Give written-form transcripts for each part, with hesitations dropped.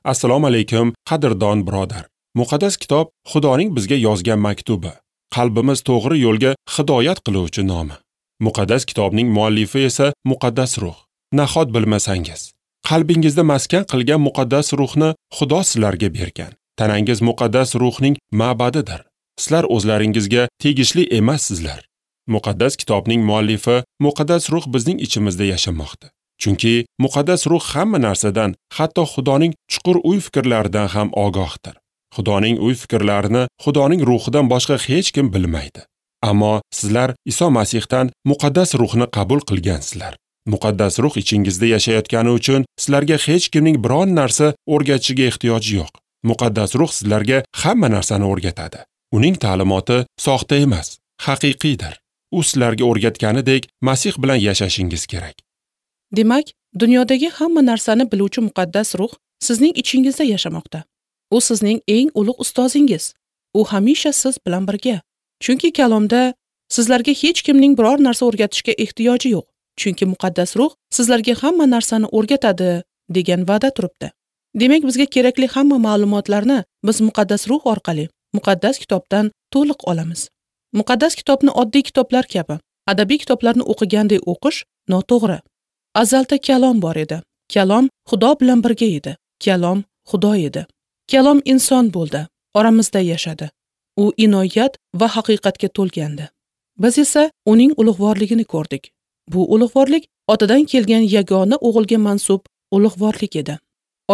Assalomu alaykum, qadrdon birodar. Muqaddas kitob Xudoning bizga yozgan maktubi. Qalbimiz to'g'ri yo'lga hidoyat qiluvchi nomi. Muqaddas kitobning muallifi esa Muqaddas Ruh. Nahot bilmasangiz, qalbingizda maskan qilgan Muqaddas Ruhni Xudo sizlarga bergan. Tanangiz Muqaddas Ruhning ma'badidir. Sizlar o'zlaringizga tegishli emassizlar. Muqaddas kitobning muallifi Muqaddas Ruh bizning ichimizda yashamoqda. Chunki Muqaddas Ruh hamma narsadan, hatto Xudoning chuqur o'y-fikrlaridan ham ogohdir. Xudoning o'y-fikrlarini Xudoning ruhidan boshqa hech kim bilmaydi. Ammo sizlar Iso Masihdan Muqaddas Ruhni qabul qilgansizlar. Muqaddas Ruh ichingizda yashayotgani uchun sizlarga hech kimning biron narsa o'rgatishiga ehtiyoji yo'q. Muqaddas Ruh sizlarga hamma narsani o'rgatadi. Uning ta'limoti soxta emas, haqiqiydir. U sizlarga o'rgatganidek Masih bilan yashashingiz kerak. Demak, dunyodagi hamma narsani biluvchi Muqaddas Ruh sizning ichingizda yashamoqda. U sizning eng ulug' ustozingiz. U hamisha siz bilan birga. Chunki kalomda sizlarga hech kimning biror narsa o'rgatishga ehtiyoji yo'q. Chunki Muqaddas Ruh sizlarga hamma narsani o'rgatadi degan va'da turibdi. Demak, bizga kerakli hamma ma'lumotlarni biz Muqaddas Ruh orqali Muqaddas kitobdan to'liq olamiz. Muqaddas kitobni oddiy kitoblar kabi, adabiy kitoblarni o'qigandek o'qish noto'g'ri. Azalda kalom bor edi. Kalom Xudo bilan birga edi. Kalom Xudo edi. Kalom inson bo'ldi, oramizda yashadi. U inoyat va haqiqatga to'lgandi. Biz esa uning ulug'vorligini ko'rdik. Bu ulug'vorlik otadan kelgan yagona o'g'ilga mansub ulug'vorlik edi.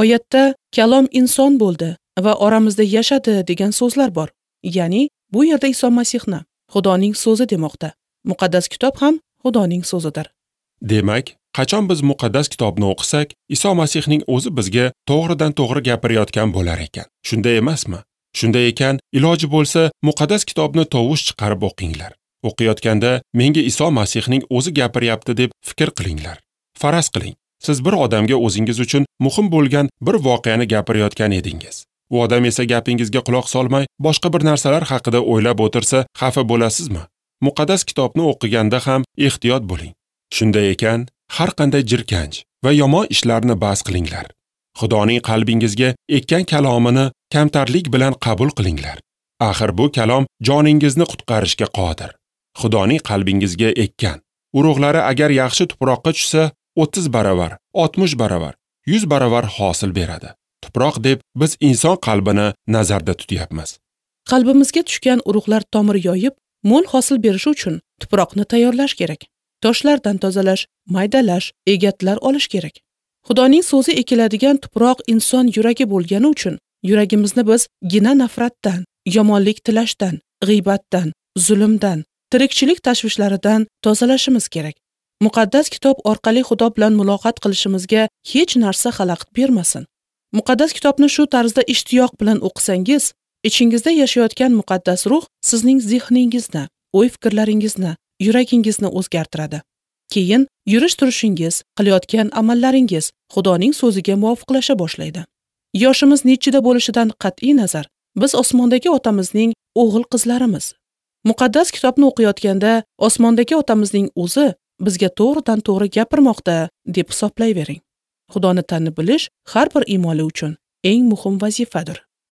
Oyatda kalom inson bo'ldi va oramizda yashadi degan so'zlar bor. Ya'ni bu yerda Iso Masihni Xudoning so'zi demoqda. Muqaddas kitob ham Xudoning so'zidir. Demak, qachon biz muqaddas kitobni o'qisak, Iso Masihning o'zi bizga to'g'ridan to'g'ri gapirayotgan bo'lar ekan. Shunday emasmi? Shunday ekan, iloji bo'lsa, muqaddas kitobni tovush chiqarib o'qinglar. O'qiyotganda menga Iso Masihning o'zi gapiryapti deb fikr qilinglar. Faraz qiling, siz bir odamga o'zingiz uchun muhim bo'lgan bir voqeani gapirayotgan edingiz. U odam esa gapingizga quloq solmay, boshqa bir narsalar haqida o'ylab o'tirsa, xafa bo'lasizmi? Muqaddas kitobni o'qiganda ham ehtiyot bo'ling. Shunday ekan, har qanday jirkanch va yomon ishlarni bas qilinglar. Xudoning qalbingizga ekkan kalomini kamtarlik bilan qabul qilinglar. Axir bu kalom joningizni qutqarishga qodir. Xudoning qalbingizga ekkan urug'lari agar yaxshi tuproqqa tushsa, 30 baravar, 60 baravar, 100 baravar hosil beradi. Tuproq deb biz inson qalbini nazarda tutyapmiz. Qalbimizga tushgan urug'lar tomir yoyib, mo'l hosil berishi uchun tuproqni tayyorlash kerak. Toshlardan tozalash, maydalash, egatlar olish kerak. Xudoning so'zi ekiladigan tuproq inson yuragi bo'lgani uchun yuragimizni biz gina nafratdan, yomonlik tilashdan, g'iybatdan, zulmdan, tirikchilik tashvishlaridan tozalashimiz kerak. Muqaddas kitob orqali Xudo bilan muloqot qilishimizga hech narsa xalaqit bermasin. Muqaddas kitobni shu tarzda ishtiyoq bilan o'qisangiz, ichingizda yashayotgan Muqaddas Ruh sizning zehningizni, o'y-fikrlaringizni, yuragingizni o'zgartiradi. Keyin yurish-turishingiz, qilayotgan amallaringiz Xudoning so'ziga muvofiqlasha boshlaydi. Yoshimiz nechida bo'lishidan qat'iy nazar, biz osmondagi otamizning o'g'il-qizlarimiz. Muqaddas kitobni o'qiyotganda osmondagi otamizning o'zi bizga to'g'ridan to'g'ri gapirmoqda deb hisoblayvering. Xudoni tanib bilish har bir iymonli uchun eng muhim vazifadir.